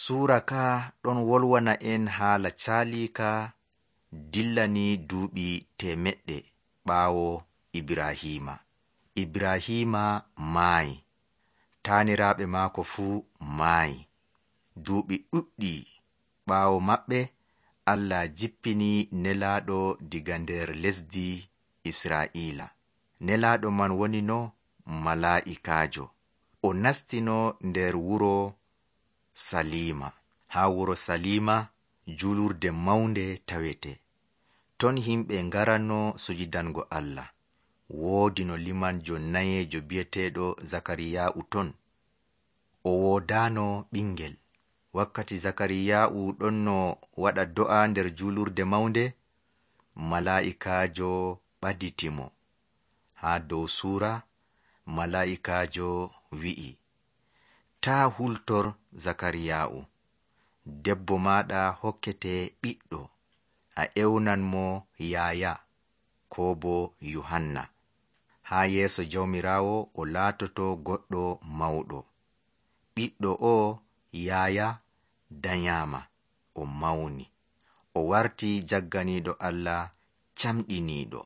Suura ka ɗon wolwana en haala caalika dillani duuɓi 100 ɓaawo Ibrahima. Ibrahima maayi, taaniraaɓe maako fuu maayi. Duuɓi ɗuɗɗi ɓaawo maɓɓe, Allah jippini nelaaɗo diga nder lesdi Israa'iila. Nelaaɗo man woni no malaa'ikaajo. O nastino nder wuro Salima. Haa wuro Salima julurde mawnde tawete. Ton himɓe ngaranno sujidango Allah. Woodi no limanjo nayeejo bi'eteeɗo Zakariyaa'u ton. O woodaano ɓingel. Wakkati Zakariyaa'u ɗon no waɗa do'a nder julurde mawnde, malaa'ikaajo ɓaditimo. Haa dow suura, malaa'ikaajo wi'i, taa hultor Zakariyaa'u. Debbo maaɗa hokkete ɓiɗɗo, a ewnan mo Yaaya, koo bo Yohanna. Haa yeeso Jawmiraawo o laatoto goɗɗo mawɗo. Ɓiɗɗo o Yaaya danyaama, o mawni, o warti jagganiiɗo Allah camɗiniiɗo.